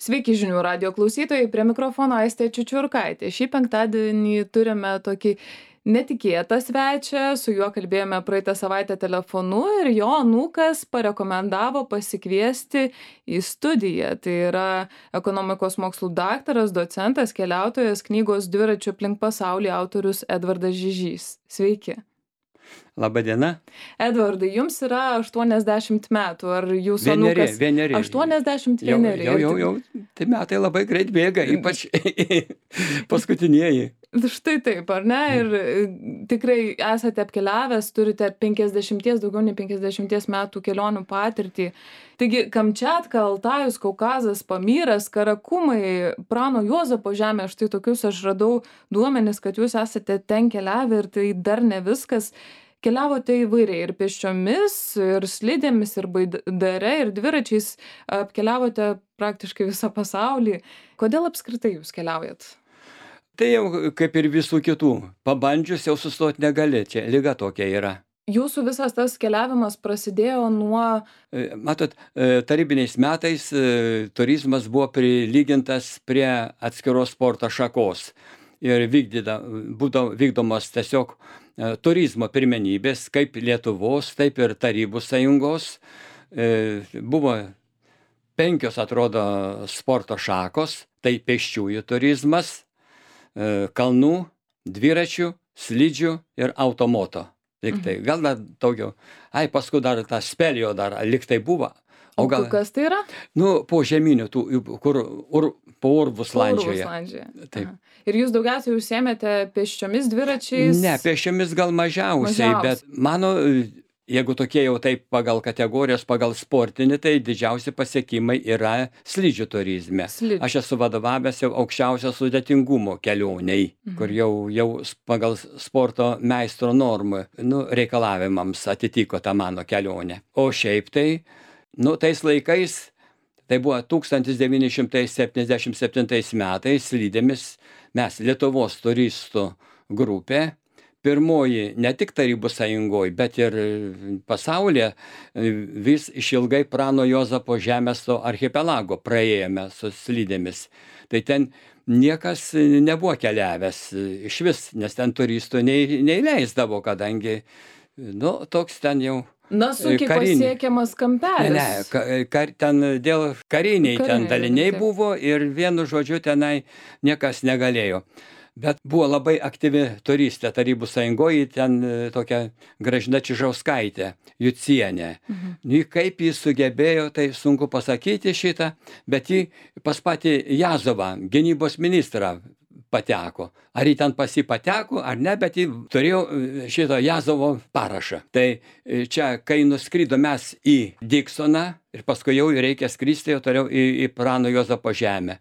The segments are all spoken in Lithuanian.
Sveiki žinių radijo klausytojai, prie mikrofono Aistė Čiučiurkaitė. Šį penktadienį turime tokį netikėtą svečią, su juo kalbėjome praeitą savaitę telefonu ir jo anūkas parekomendavo pasikviesti į studiją. Tai yra ekonomikos mokslų daktaras, docentas, keliautojas, knygos Dviračiu aplink pasaulį autorius Edvardas Žižys. Sveiki. Labadiena. Edvardai, jums yra 80 metų, ar jūsų anūkas? Vieneri. 81. Jau. Tai metai labai greit bėga, ypač paskutinieji. Štai taip, ar ne? Ir tikrai esate apkeliavęs, turite daugiau nei 50 metų kelionių patirtį. Taigi, Kamčiatka, Altajus, Kaukazas, Pamyras, Karakumai, Prano Juozapo žemė, štai tokius aš radau duomenis, kad jūs esate ten keliavę ir tai dar ne viskas. Keliavote įvairiai ir pėsčiomis, ir slidėmis, ir baidare, ir dviračiais, apkeliavote praktiškai visą pasaulį. Kodėl apskritai jūs keliaujat? Tai jau kaip ir visų kitų. Pabandžius jau sustoti negali, čia liga tokia yra. Jūsų visas tas keliavimas prasidėjo nuo... Matot, tarybiniais metais turizmas buvo prilygintas prie atskiros sporto šakos. Ir būdavo vykdomos tiesiog turizmo pirmenybės, kaip Lietuvos, taip ir Tarybų sąjungos. Buvo 5, atrodo, sporto šakos, tai pėsčiųjų turizmas, kalnų, dviračių, slidžių ir automoto. Liktai, gal dar daugiau. Paskui dar tą spelio dar liktai buvo. O kas tai yra? Po žeminių, kur po Urvuslandžioje. Taip. Ir jūs daugiausiai užsiėmėte pėsčiomis, dviračiais? Ne, pėsčiomis gal mažiausiai, bet mano, jeigu tokie jau taip pagal kategorijos, pagal sportinį, tai didžiausi pasiekimai yra slidžių turizme. Aš esu vadovavęs jau aukščiausio sudėtingumo kelioniai, kur jau pagal sporto meistro normų reikalavimams atitiko tą mano kelionę. O šiaip tai, tais laikais, tai buvo 1977 metais slidėmis mes Lietuvos turistų grupė, pirmoji ne tik Tarybų sąjungoje, bet ir pasaulyje vis išilgai Prano Juozapo žemės to archipelago praėjome su slidėmis. Tai ten niekas nebuvo keliavęs iš vis, nes ten turistų neįleisdavo, kadangi toks ten jau sunkiai pasiekiamas kampelis. Ne, ten dėl kariniai ten daliniai buvo ir vienu žodžiu tenai niekas negalėjo. Bet buvo labai aktyvi turistė Tarybų sąjungoje, ten tokia Gražina Čižauskaitė, Jucienė. Kaip jis sugebėjo, tai sunku pasakyti šitą, bet jį pas patį Jazovą, gynybos ministrą, pateko. Ar jį ten pateko, ar ne, bet jį turėjo šito Jazovo parašą. Tai čia, kai nuskrido mes į Diksoną ir paskui jau reikia skristi jau toliau į Prano Juozapo žemę.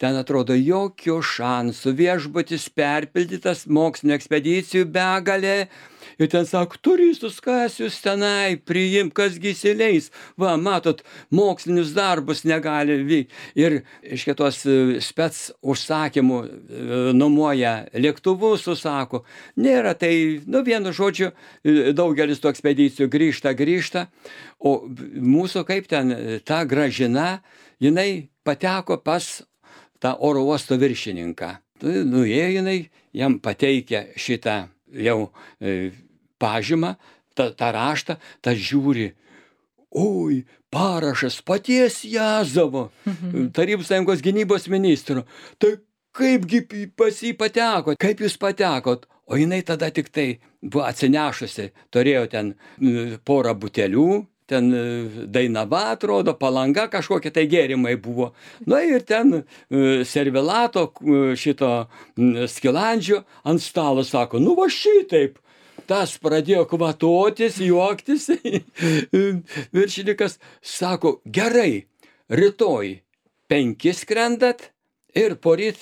Ten atrodo jokių šansų, viešbutis perpildytas, mokslinio ekspedicijų begalė. Ir ten sako, turistus, kas jūs tenai priimk, kas įsileis. Va, matot, mokslinius darbus negali vykti. Ir iš kitos spec užsakymų nuomoja lėktuvus, užsako. Nėra, tai, vienu žodžiu, daugelis tų ekspedicijų grįžta. O mūsų kaip ten, ta Gražina, jinai pateko pas tą oro uosto viršininką. Nuėjo jinai, jam pateikė šitą jau pažymą, tą raštą, tas žiūri, oi, parašas paties Jazovo, Tarybų sąjungos gynybos ministro. Tai kaipgi pas jį pateko, kaip jūs patekot? O jinai tada tik tai buvo atsinešusi, turėjo ten porą butelių, ten Dainava, atrodo, Palanga, kažkokie tai gėrimai buvo. Ir ten servilato šito skilandžio ant stalo sako, va šitaip. Tas pradėjo kvatotis, juoktis. Viršininkas sako, gerai, rytoj 5 skrendat ir poryt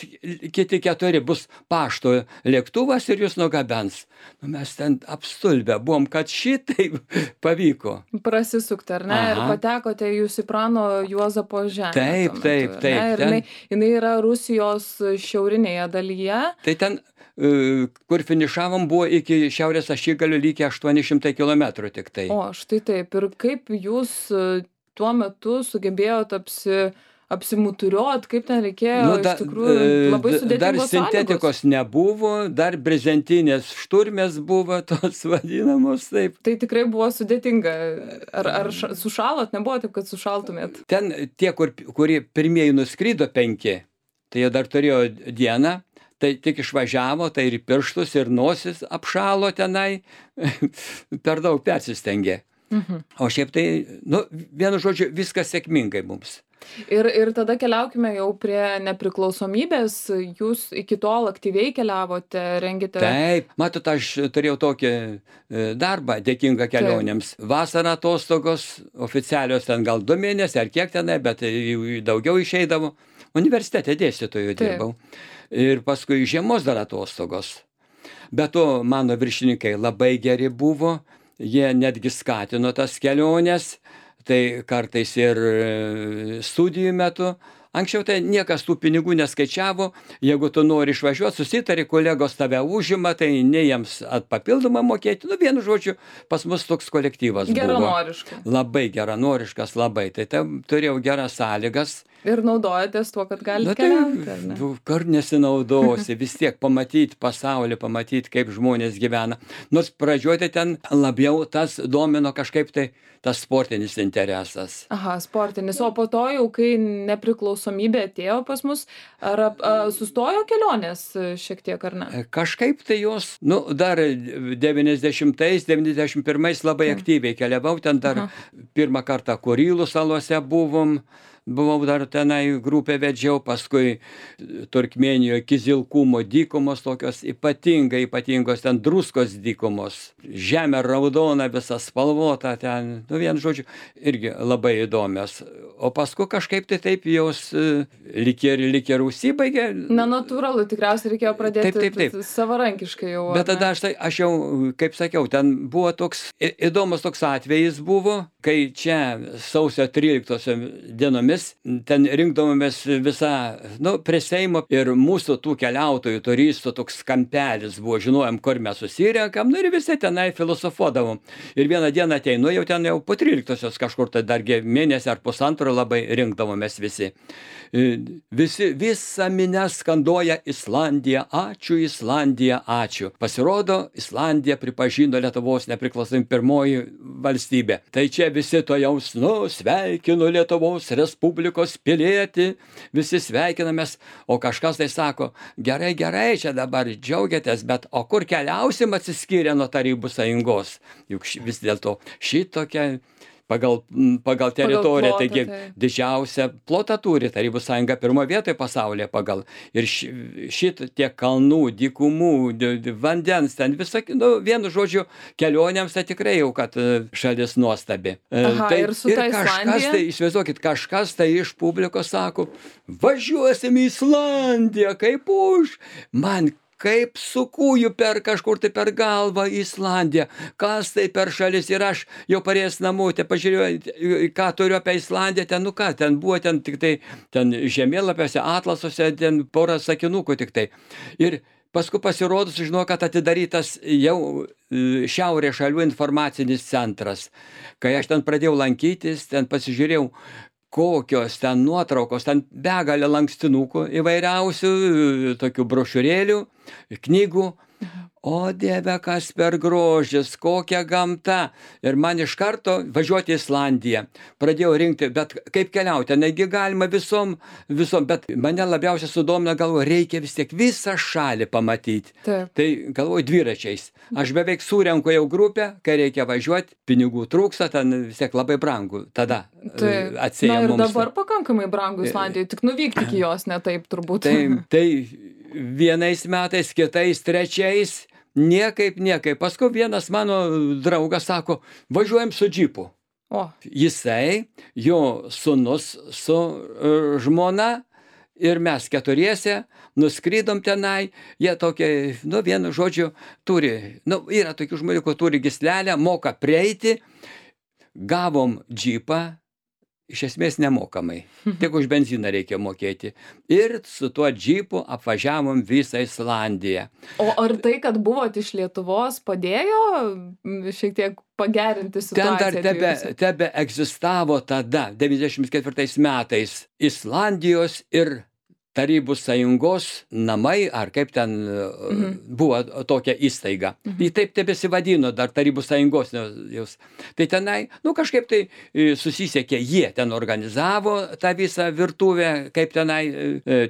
kiti 4 bus pašto lėktuvas ir jūs nugabens. Mes ten apstulbę buvom, kad šitaip pavyko. Prasisukti, ar ne? Ir patekote jūs į Prano Juozapo žemę. Taip. Ir jinai yra Rusijos šiaurinėje dalyje. Tai ten, kur finišavom, buvo iki šiaurės ašigalio likę 800 kilometrų tik tai. O, štai taip. Ir kaip jūs tuo metu sugebėjote apsimuturiuot, kaip ten reikėjo, iš tikrųjų labai sudėtingos dar sintetikos nebuvo, dar brezentinės šturmės buvo tos vadinamos taip. Tai tikrai buvo sudėtinga. Ar sušalot? Nebuvo taip, kad sušaltumėt? Ten tie, kurie pirmieji nuskrido 5, tai jie dar turėjo dieną. Tai tik išvažiavo, tai ir pirštus, ir nosis apšalo tenai, per daug persistengė. O šiaip tai, vienu žodžiu, viskas sėkmingai mums. Ir tada keliaukime jau prie nepriklausomybės. Jūs iki tol aktyviai keliavote, rengėte... Taip, matot, aš turėjau tokį darbą dėkingą kelionėms. Taip. Vasarą atostogos, oficialios ten gal 2 mėnesiai ar kiek tenai, bet daugiau išeidavo. Universitete dėstytojų dirbau. Ir paskui žiemos dar atostogos. Be to, mano viršininkai labai geri buvo, jie netgi skatino tas keliones, tai kartais ir studijų metu. Anksčiau tai niekas tų pinigų neskaičiavo, jeigu tu nori išvažiuoti, susitari, kolegos tave užima, tai ne jiems papildomą mokėti. Vienu žodžiu, pas mus toks kolektyvas buvo. Geranoriškas. Labai geranoriškas, labai. Tai turėjau geras sąlygas. Ir naudojatės tuo, kad galite keliauti, ar ne? Kur nesinaudosi, vis tiek pamatyti pasaulį, pamatyti, kaip žmonės gyvena. Nors pradžioje ten labiau tas domino kažkaip tai tas sportinis interesas. Aha, sportinis. O po to jau, kai nepriklausomybė atėjo pas mus, ar sustojo kelionės šiek tiek, ar ne? Kažkaip tai jos, dar 90-ais, 91-ais labai aktyviai keliavau, ten dar pirmą kartą Kurylų salose buvau dar tenai grupę vedžiau, paskui Turkmėnijoje Kizilkumo dykumos tokios ypatingos, ten druskos dykumos, žemė raudona, visa spalvota ten, vienu žodžiu, irgi labai įdomios. O paskui kažkaip tai taip jos lyg ir užsibaigė. Natūralu, tikriausiai reikėjo pradėti taip. Savarankiškai jau. Bet tada aš jau, kaip sakiau, ten buvo toks, įdomus toks atvejis buvo, kai čia sausio 13 dienomis ten rinkdavomės visą, prie Seimo ir mūsų tų keliautojų, turistų toks kampelis buvo, žinojom, kur mes susirenkam, ir visi tenai filosofuodavom. Ir vieną dieną ateinu, jau ten po 13-osios kažkur, tai dargi mėnesį ar pusantro labai rinkdavomės visi. Visa minia skanduoja Islandija, ačiū. Pasirodo, Islandija pripažino Lietuvos nepriklausomybę pirmoji valstybė. Tai čia visi to jau, sveikinu Lietuvos Respublikos pilietį, visi sveikinamės, o kažkas tai sako, gerai, čia dabar džiaugiatės, bet o kur keliausim atsiskyrę nuo Tarybų Sąjungos? Juk vis dėlto šitokia pagal teritoriją, taigi didžiausią plotą turi Tarybų Sąjunga, pirmoje vietoje pasaulyje pagal. Ir tiek kalnų, dykumų, vandens, ten visą, vienu žodžiu, kelionėms tai tikrai jau, kad šalis nuostabi. Aha, ir su ta Islandija? Įsivaizduokit, kažkas tai iš publikos sako, važiuosim į Islandiją, kaip už. Man kaip su kūju kažkur tai per galvą Islandiją, kas tai per šalis, ir aš jau parėjęs namo, pažiūrėjau, ką turiu apie Islandiją, ten buvo tik tai, ten žemėlapiuose, atlasuose, ten porą sakinukų tik tai. Ir paskui pasirodus, žinau, kad atidarytas jau šiaurės šalių informacinis centras. Kai aš ten pradėjau lankytis, ten pasižiūrėjau, kokios ten nuotraukos, ten begalė lankstinukų įvairiausių, tokių brošiūrėlių, knygų. O Dieve, kas per grožis, kokia gamta. Ir man iš karto važiuoti į Islandiją. Pradėjau rinkti, bet kaip keliauti, negi galima visom, bet mane labiausiai sudomina, galvoju, reikia vis tiek visą šalį pamatyti. Taip. Tai galvoju, dviračiais. Aš beveik surenku jau grupę, kai reikia važiuoti, pinigų trūksta, ten vis tiek labai brangu. Tada atsieja mums. Na ir dabar pakankamai brangu Islandijoje, tik nuvykti iki jos, ne taip turbūt. Tai vienais metais, kitais, trečiais, niekaip. Paskui vienas mano draugas sako, važiuojam su džipu. O. Jisai, jo sūnus su žmona ir mes keturiese nuskridom tenai. Jie tokie, vienu žodžiu, turi, yra tokių žmonių, kur turi gyslelę, moka prieiti. Gavom džipą iš esmės nemokamai. Tik už benziną reikia mokėti. Ir su tuo džipu apvažiavom visą Islandiją. O ar tai, kad buvot iš Lietuvos, padėjo šiek tiek pagerinti situaciją? Ten dar tebe egzistavo tada, 94 metais, Islandijos ir Tarybų sąjungos namai, ar kaip ten buvo tokia įstaiga. Ji taip tebesivadino dar Tarybų sąjungos. Tai tenai, kažkaip tai susisiekė, jie ten organizavo tą visą virtuvę, kaip tenai,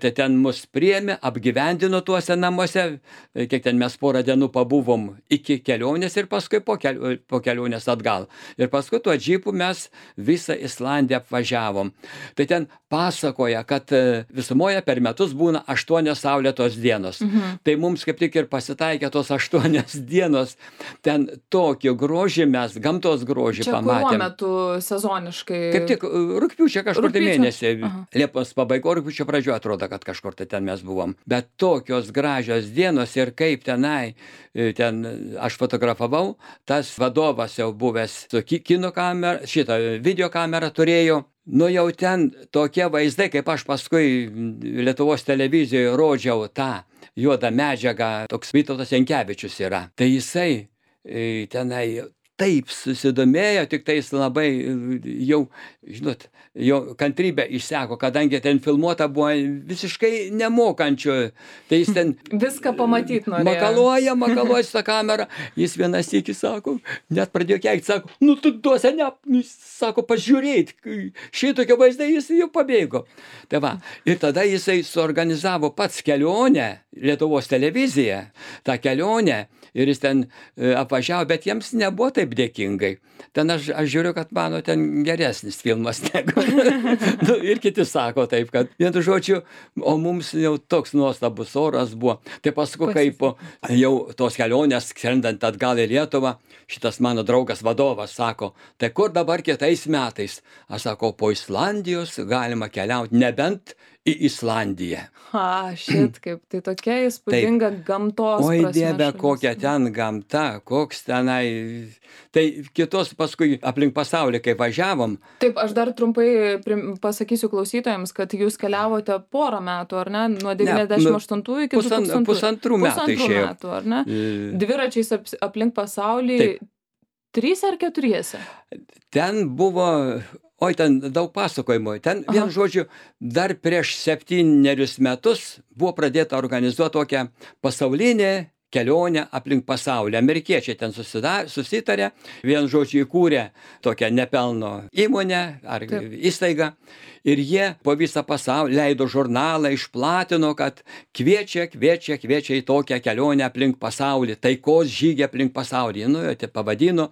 tai ten mus priėmė, apgyvendino tuose namuose, kiek ten mes porą dienų pabuvom iki kelionės ir paskui po kelionės atgal. Ir paskui tuo džipu mes visą Islandiją apvažiavom. Tai ten pasakoja, kad visumoje per metus būna 8 saulėtos dienos. Tai mums kaip tik ir pasitaikė tos 8 dienos. Ten tokį grožį mes, gamtos grožį pamatėm. Čia kuriuo metu sezoniškai? Kaip tik rugpjūčio kažkur tai mėnesį. Liepos pabaigo, rugpjūčio pradžioje atrodo, kad kažkur tai ten mes buvom. Bet tokios gražios dienos ir kaip tenai, ten aš fotografavau, tas vadovas jau buvęs su kino kamera, šitą videokamerą turėjo. Jau ten tokie vaizdai, kaip aš paskui Lietuvos televizijoje rodžiau tą juodą medžiagą, toks Vytautas Jankevičius yra. Tai jisai tenai taip susidomėjo, tik tai jis labai jau, žinot, jo kantrybė išseko, kadangi ten filmuota buvo visiškai nemokančių. Tai jis ten viską pamatyt makaluoja norėjo. su tą kamerą. Jis vienas sykį sako, net pradėjo keikti, sako, tu duose sako, pažiūrėt, šitokie vaizdai, jis jau pabėgo. Tai va, ir tada jisai suorganizavo pats kelionę, Lietuvos televiziją, tą kelionę, ir jis ten apvažiavo, bet jiems nebuvo taip dėkingai. Ten aš žiūriu, kad mano ten geresnis filmas negu. Ir kiti sako taip, kad vienu žodžiu, o mums jau toks nuostabus oras buvo. Tai paskui, kaip jau tos kelionės skrendant atgal į Lietuvą, šitas mano draugas vadovas sako, tai kur dabar kitais metais? Aš sako, po Islandijos galima keliauti, nebent į Islandiją. Kaip, tai tokia įspūdinga gamtos prasme. Oi Dieve, kokia ten gamta, koks tenai. Tai kitos paskui aplink pasaulį, kai važiavom. Taip, aš dar trumpai pasakysiu klausytojams, kad jūs keliavote porą metų, ar ne? Nuo 98 iki 2000. Pusantrų metų išėjo. Metų, ar ne? Dviračiais aplink pasaulį. Taip. 3 ar 4? Ten buvo... Oi, ten daug pasakojimų. Ten, vienu žodžiu, dar prieš 7 metus buvo pradėta organizuoti tokią pasaulinę kelionę aplink pasaulį. Amerikiečiai ten susitarė, vienu žodžiu įkūrė tokią nepelno įmonę ar įstaigą. Ir jie po visą pasaulį leido žurnalą, išplatino, kad kviečia į tokią kelionę aplink pasaulį, taikos žygį aplink pasaulį. Tai pavadino,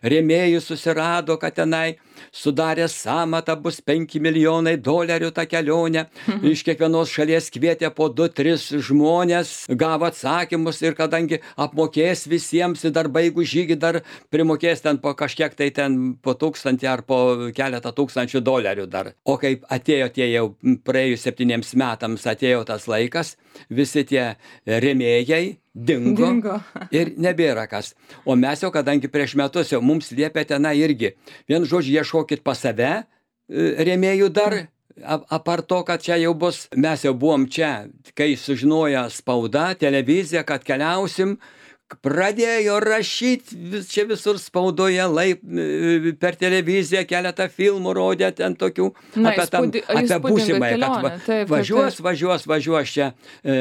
rėmėjus susirado, kad tenai sudarė sąmatą, bus $5 milijonai tą kelionę. Iš kiekvienos šalies kvietė po 2-3 žmonės, gavo atsakymus ir kadangi apmokės visiems, dar baigų žygį, dar primokės ten po kažkiek tai ten po 1000 ar po keletą $1000 dar. O kai atėjo tie jau praėjus 7 metams, atėjo tas laikas, visi tie rėmėjai dingo ir nebėra kas. O mes jau, kadangi prieš metus jau mums liepė tenai irgi, vienu žodžiu, ieškokit pas save rėmėjų dar, apart to, kad čia jau bus, mes jau buvom čia, kai sužinojo spauda, televizija, kad keliausim, pradėjo rašyti čia visur spaudoje, per televiziją keletą filmų rodė ten tokių apie būsimąją, kad važiuos čia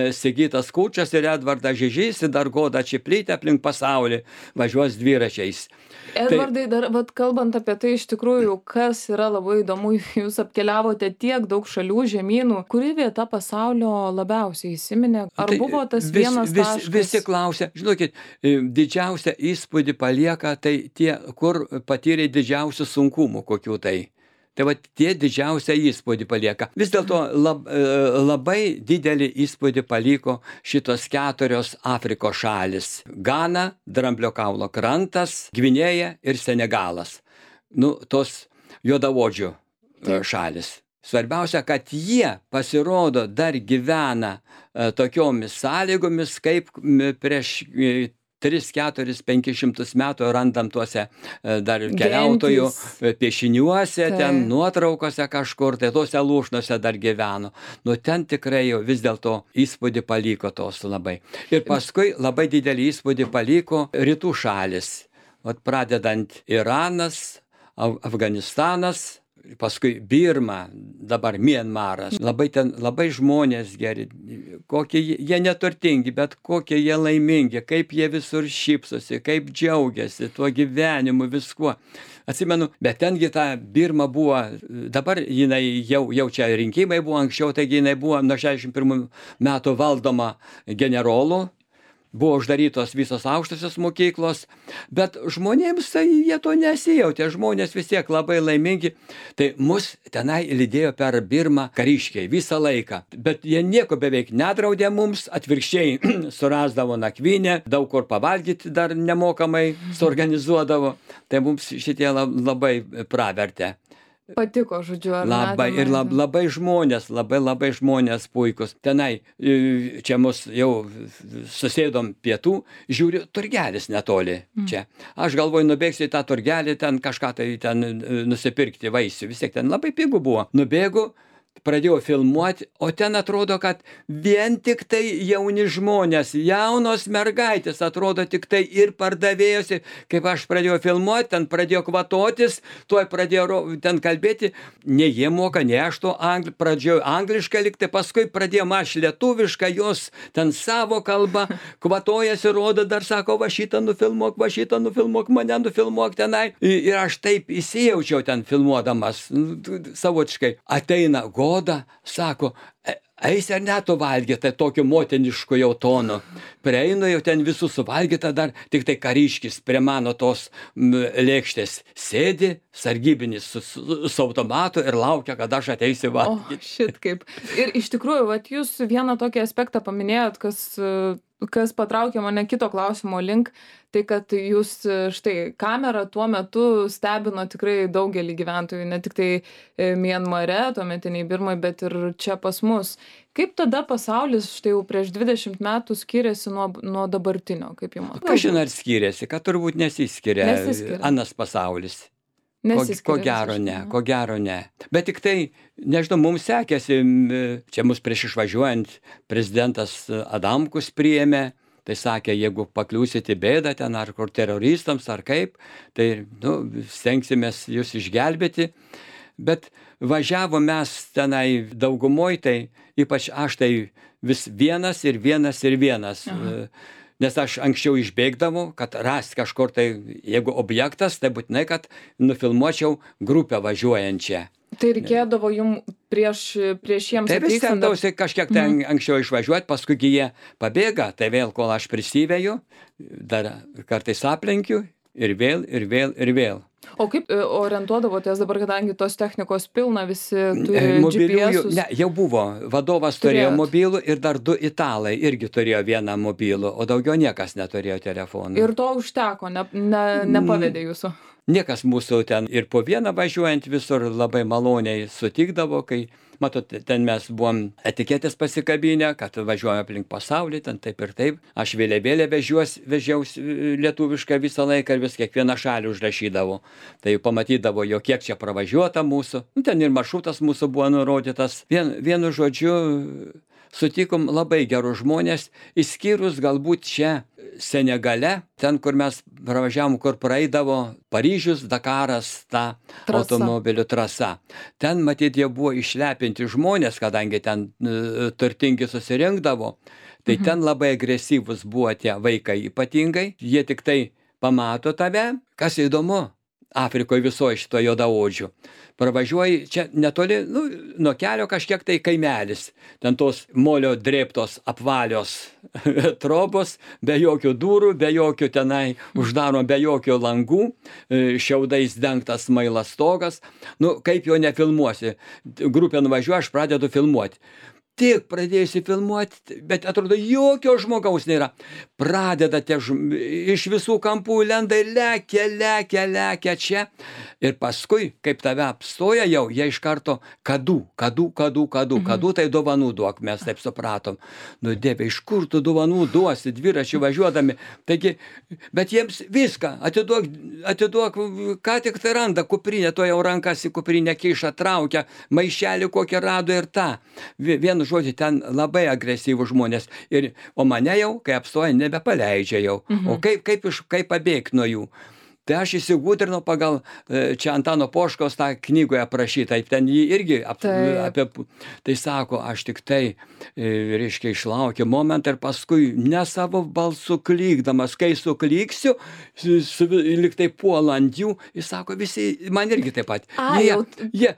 Sigitas Kūčias ir Edvardas Žižys ir dar Goda Čiplytė aplink pasaulį, važiuos dviračiais. Edvardai, dar kalbant apie tai, iš tikrųjų, kas yra labai įdomu, jūs apkeliavote tiek daug šalių, žemynų, kuri vieta pasaulio labiausiai įsiminė? Ar buvo tas vienas taškas? Visi klausia, žinokit, didžiausią įspūdį palieka tai tie, kur patyrė didžiausių sunkumų kokių tai. Tai va tie didžiausią įspūdį palieka. Vis dėlto labai didelį įspūdį paliko šitos 4 Afrikos šalis. Gana, Dramblio kaulo krantas, Gvinėja ir Senegalas. Tos juodaodžių šalis. Svarbiausia, kad jie pasirodo dar gyvena tokiomis sąlygomis, kaip prieš 3, 4, 500 metų randam tuose dar keliautojų piešiniuose, ten nuotraukose kažkur, tai tuose lūšnose dar gyveno. Nu, ten tikrai jau vis dėlto įspūdį paliko tos labai. Ir paskui labai didelį įspūdį paliko rytų šalis. Vat pradedant Iranas, Afganistanas, paskui Birma, dabar Mianmaras. Labai žmonės geri, kokie jie neturtingi, bet kokie jie laimingi, kaip jie visur šypsosi, kaip džiaugiasi tuo gyvenimu, viskuo. Atsimenu, bet tengi ta Birma buvo, dabar jinai jau čia rinkimai buvo anksčiau, taigi jinai buvo nuo 61 metų valdoma generolų. Buvo uždarytos visos aukštosios mokyklos, bet žmonėms tai jie to nesijautė, žmonės vis tiek labai laimingi. Tai mus tenai lydėjo per Birmą kariškiai visą laiką, bet jie nieko beveik nedraudė mums, atvirkščiai surasdavo nakvynę, daug kur pavalgyti dar nemokamai suorganizuodavo, tai mums šitie labai pravertė. Patiko, žodžiu, ar labai, ir labai žmonės puikus. Tenai, čia mus jau susėdom pietų, žiūriu, turgelis netoli čia. Aš galvoju, nubėgsiu į tą turgelį, ten kažką tai ten nusipirkti vaisių. Vis tiek ten labai pigų buvo. Nubėgu, pradėjau filmuoti, o ten atrodo, kad vien tik tai jauni žmonės, jaunos mergaitės, atrodo tik tai ir pardavėjosi. Kaip aš pradėjau filmuoti, ten pradėjo kvatotis, tuoj pradėjo ten kalbėti, ne jie moka, ne aš to pradėjau angliškai likti, paskui pradėjom aš lietuvišką, jos ten savo kalbą, kvatojasi, rodo, dar sako, va šitą nufilmuok, mane nufilmuok tenai. Ir aš taip įsijaučiau ten filmuodamas, savotiškai. Ateina Goda, sako, eisi ar ne tu valgyti, tokiu motinišku jau tonu. Prieinu jau ten visų suvalgyta dar, tik tai kariškis prie mano tos lėkštės sėdi, sargybinis su automatu ir laukia, kad aš ateisiu valgyti. O, šit kaip. Ir iš tikrųjų, vat jūs vieną tokį aspektą paminėjot, kas patraukė mane kito klausimo link, tai kad jūs štai kamerą tuo metu stebino tikrai daugelį gyventojų, ne tik tai Mianmare, tuometiniai Birmai, bet ir čia pas mus. Kaip tada pasaulis štai jau prieš 20 metų skiriasi nuo dabartinio, kaip jums atrodo? Kažin ar skiriasi, kad turbūt nesiskiria anas pasaulis. Ko gero ne. Bet tik tai, nežinau, mums sekėsi, čia mus prieš išvažiuojant prezidentas Adamkus priėmė, tai sakė, jeigu pakliūsite bėdą ten ar kur teroristams ar kaip, tai stengsimės jūs išgelbėti. Bet važiavo mes tenai daugumoj, tai ypač aš tai vis vienas. Nes aš anksčiau išbėgdavau, kad rasti kažkur tai, jeigu objektas, tai būtinai, kad nufilmuočiau grupę važiuojančią. Tai reikėdavo jums prieš jiems atvykstant? Tai vis stengdavausi kažkiek ten anksčiau išvažiuoti, paskui jie pabėga, tai vėl, kol aš prisiveju, dar kartais aplenkiu ir vėl. O kaip orientuodavotės dabar, kadangi tos technikos pilna, visi turi GPS-us? Ne, jau buvo. Vadovas turėjo mobilų ir dar 2 italai irgi turėjo vieną mobilų, o daugiau niekas neturėjo telefonų. Ir to užteko, nepavedė jūsų? Niekas mūsų ten ir po vieną važiuojant visur labai maloniai sutikdavo, kai, matot, ten mes buvom etiketės pasikabinę, kad važiuojame aplink pasaulį, ten taip ir taip. Aš vėliavėlę vežiausi lietuvišką visą laiką ir vis kiekvieną šalį užrašydavau. Tai pamatydavo, jo kiek čia pravažiuota mūsų. Ten ir maršrutas mūsų buvo nurodytas. Vienu žodžiu, sutikom labai gerus žmonės, išskyrus galbūt čia Senegale, ten, kur mes pravažiavom, kur praeidavo Paryžius, Dakaras, ta automobilių trasa. Ten, matyt, jie buvo išlepinti žmonės, kadangi ten turtingi susirinkdavo, tai ten labai agresyvus buvo tie vaikai ypatingai. Jie tik tai pamato tave, kas įdomu. Afrikoje visoje šito juodaodžių. Pravažiuoji čia netoli, nuo kelio kažkiek tai kaimelis. Ten tos molio drėbtos apvalios trobos, be jokių durų, be jokių tenai uždaro, be jokių langų, šiaudais dengtas smailas stogas. Kaip jo nefilmuosi. Grupė nuvažiuoja, aš pradedu filmuoti. tik pradėjusi filmuoti, bet atrodo, jokio žmogaus nėra. Pradeda iš visų kampų lenda ir lekia čia. Ir paskui, kaip tave apstoja jau, jie iš karto kadų, tai dovanų duok, mes taip supratom. Nu, Dieve, iš kur tu dovanų duosi, dviračių važiuodami. Taigi, bet jiems viską, atiduok, ką tik tai randa, kuprinę, to jau rankas į kuprinę kiša, traukia, maišelį kokią rado ir tą. Vienu žodžiu, ten labai agresyvūs žmonės. O mane jau, kai apstoja, nebepaleidžia jau. O kaip pabėgti nuo jų? Tai aš įsigudrinau pagal čia Antano Poškaus tą knygoje aprašytą, ten jį irgi apie... Tai sako, aš tik tai, reiškia, išlaukiu momentą ir paskui ne savo balsu klykdamas, kai suklyksiu, lyg tai puola ant jų, jis sako, visi, man irgi taip pat. Jie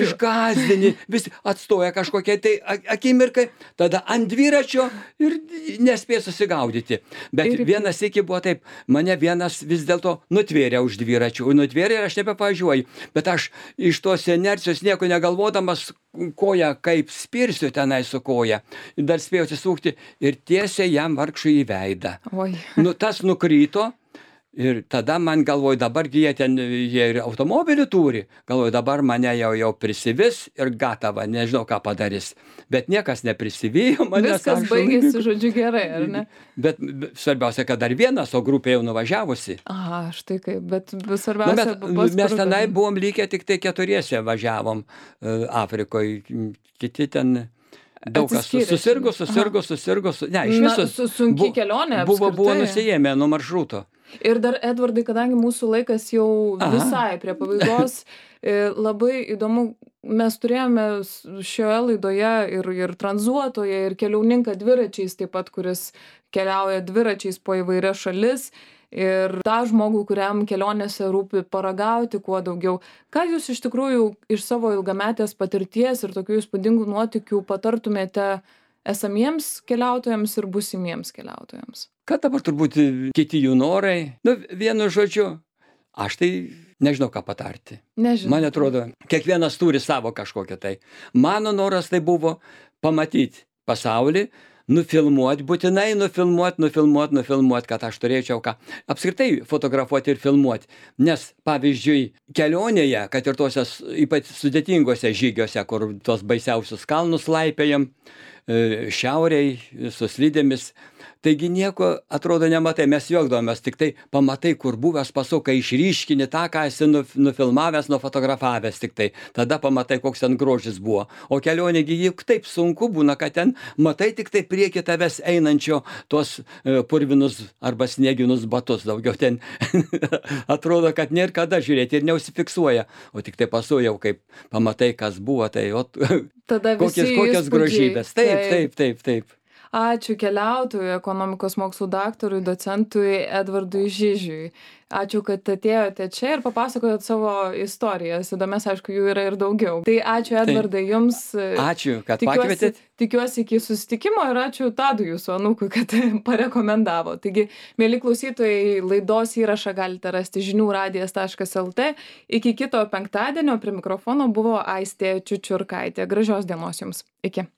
išgąsdini, visi atstoja kažkokie tai akimirkai, tada ant dviračio ir nespės susigaudyti. Bet vienas iki buvo taip, mane vienas vis dėlto nutvėrė už dviračių, nutvėrė ir aš nebevažiuoju, bet aš iš tos inercijos nieko negalvodamas koją kaip spirsiu tenai su koja, dar spėjau atsisukti ir tiesiai jam vargšui į veidą. Nu, tas nukrito. Ir tada man galvoju, dabargi jie ir automobilį turi, galvoju, dabar mane jau prisivis ir gatava, nežinau, ką padarys. Bet niekas neprisivijo manęs. Viskas baigėsi, žodžiu, gerai, ar ne? Bet svarbiausia, kad dar vienas, o grupė jau nuvažiavusi. Aha, štai kaip, bet svarbiausia... Mes tenai buvom likę tik tai 4 važiavom Afrikoje, kiti ten... Daug kas susirgo. Ne, iš viso sunki kelionė apskritai. Buvo nusijėmę nuo maršruto. Ir dar, Edvardai, kadangi mūsų laikas jau visai prie pabaigos, labai įdomu, mes turėjome šioje laidoje ir tranzuotoje, ir keliauninką dviračiais taip pat, kuris keliauja dviračiais po įvairias šalis. Ir tą žmogų, kuriam kelionėse rūpi paragauti kuo daugiau. Ką jūs iš tikrųjų iš savo ilgametės patirties ir tokių įspūdingų nuotykių patartumėte esamiems keliautojams ir būsimiems keliautojams? Kad dabar turbūt kiti jų norai. Nu, vienu žodžiu, aš tai nežinau, ką patarti. Nežinau. Man atrodo, kiekvienas turi savo kažkokią tai. Mano noras tai buvo pamatyti pasaulį, būtinai nufilmuot, kad aš turėčiau ką. Apskritai fotografuoti ir filmuoti. Nes, pavyzdžiui, kelionėje, kad ir tose ypač sudėtingose žygiuose, kur tos baisiausius kalnus laipėjam, šiauriai, su slidėmis, taigi nieko, atrodo, nematai, mes juokdavomės, tik tai pamatai, kur buvęs pasukai, išryškini tą, ką esi nufilmavęs, nufotografavęs tik tai. Tada pamatai, koks ten grožis buvo. O kelionėgi juk taip sunku būna, kad ten matai tik tai prieki tavęs einančio tos purvinus arba snieginus batus. Daugiau ten atrodo, kad nėra kada žiūrėti ir neusifiksuoja. O tik tai pasujau, kaip pamatai, kas buvo, tai kokias grožybės. Taip. Ačiū keliautojui, ekonomikos mokslų daktarui, docentui Edvardui Žižiui. Ačiū, kad atėjote čia ir papasakojot savo istorijas. Įdomias, aišku, jų yra ir daugiau. Tai ačiū, Edvardai, jums. Ačiū, kad pakvietėt. Tikiuosi iki susitikimo ir ačiū Tadui, jūsų anūkui, kad parekomendavo. Taigi, mėly klausytojai, laidos įrašą galite rasti žiniųradijas.lt. Iki kito penktadienio prie mikrofono buvo Aistė Čiučiurkaitė. Gražios dienos jums. Iki.